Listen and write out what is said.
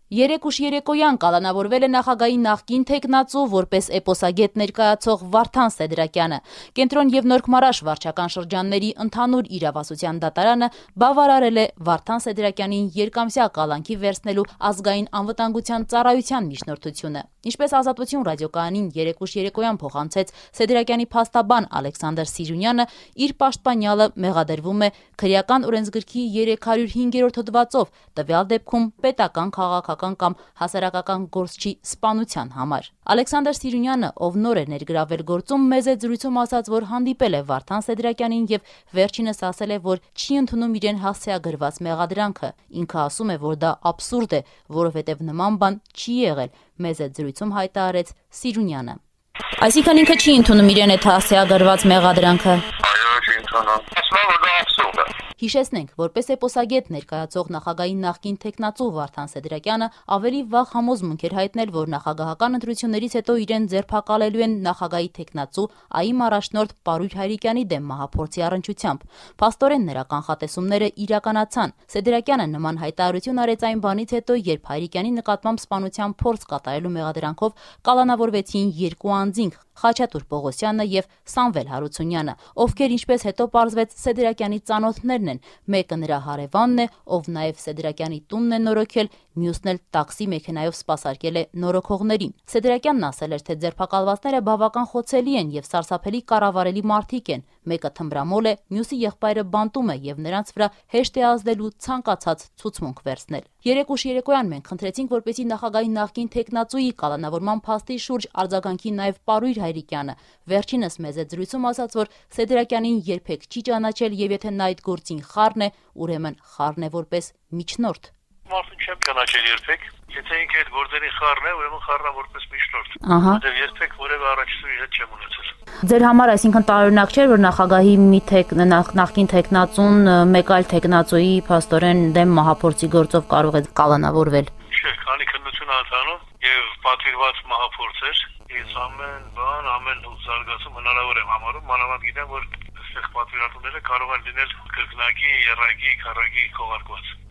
Երեկ ուշ երեկոյան կալանավորվել է նախագահի նախկին թեկնածու որպես էպոսագետ ներկայացող Վարդան Սեդրակյանը։ Կենտրոն եւ Նորք-Մարաշ վարչական շրջանների ընդհանուր իրավասության դատարանը բավարարել է Վարդան Սեդրակյանին երկամսյա կալանքի վերցնելու ազգային անվտանգության ծառայության միջնորդությունը։ Ինչպես Ազատություն ռադիոկայանին երեկ ուշ երեկոյան փոխանցեց Սեդրակյանի փաստաբան Ալեքսանդր Սիրունյանը, իր պաշտպանյալը մեղադրվում է քրեական օրենսգրքի 305-րդ հոդվածով, տվյալ դեպքում պետական, քաղաքական կամ հասարակական գործչի սպանության համար։ Ալեքսանդր Սիրունյանը, ով նոր է ներգրավել գործում, մեծ է զրույցում ասաց, որ հանդիպել է Վարդան Սեդրակյանին եւ վերջինս ասել է, որ չի ընդունում իրեն հասցեագրված մեղադրանքը։ Ինքը ասում է, որ դա աբսուրդ է, որովհետեւ նման բան չի եղել, մեծ է զրույցում հայտարարեց Սիրունյանը։ Այսինքն ինքը չի ընդունում իրեն այդ հասցեագրված մեղադրանքը։ Այո, չի ընդունում։ Ասում եմ, որ դա աբսուրդ է։ Հիշեցնենք, որպես էպոսագետ ներկայացող նախագահի նախկին թեկնածու Վարդան Սեդրակյանը ավելի վաղ համոզմունք էր հայտնել, որ նախագահական ընտրություններից հետո իրեն ձերբակալելու են նախագահի թեկնածու ԱԻՄ առաջնորդ Պարույր Հայրիկյանի դեմ մահափորձի առնչությամբ։ Փաստորեն նրա կանխատեսումները իրականացան։ Սեդրակյանը նման հայտարարություն արեց այն բանից հետո, երբ Հայրիկյանի նկատմամբ սպանության փորձ կատարելու մեղադրանքով կալանավորվեցին երկու անձինք՝ Խաչատուր Պողոսյանը եւ Սամվել Հարությունյանը, ովքեր ինչպես հետո պարզվեց Սեդրակյանի ծանոթներն են։ Մեկը նրա հարևանն է, ով նաեւ Սեդրակյանի տունն է նորոգել, մյուսն էլ տաքսի մեքենայով սպասարկել է նորոգողներին։ Սեդրակյանն ասել էր, թե ձերբակալվածները բավական խոցելի են եւ սարսափելի կառավարելի մարդիկ են։ Մեկը թմբրամոլ է, մյուսի եղբայրը բանտում է եւ նրանց վրա հեշտ է ազդելու ցանկացած ցուցմունք վերցնել։ Երեկ ուշ երեկոյան մենք խնդրեցինք, որպեսզի նախագահի նախկին թեկնածուի կալանավորման փաստի շուրջ արձագանքի նաեւ Պարույր Հայրիկյանը։ Վերջինս մեծ է զրույցում ասաց, որ Սեդրակյանին երբեք չի ճանաչել եւ եթե նա այդ գործին խառն է, ուրեմն խառն է որպես միջնորդ։ Մարդուն չեմ ճանաչել երբեք։ Եթե ինքը այդ գործերի խառն է, ուրեմն խառնա որպես միջնորդ։ Որտեղ երբեք որևէ առաջնորդի հետ չեմ ունեցել։ Ձեր համար այսինքն տարօրինակ չէր, որ նախագահի մի նախկին թեկնածուն մեկ այլ թեկնածուի փաստորեն դեմ մահափորձի գործով կարող է կալանավորվել։ Չէ, քանի քննություն անդանում եւ պատվիրված մահափորձ էր, ես ամեն բան, ամեն զարգացում հնարավոր եմ համարում, մանավանդ գիտեմ, որ այստեղ պատվիրատուները կարող են լինել կրկնակի, եռակի, քառակի քողարկված։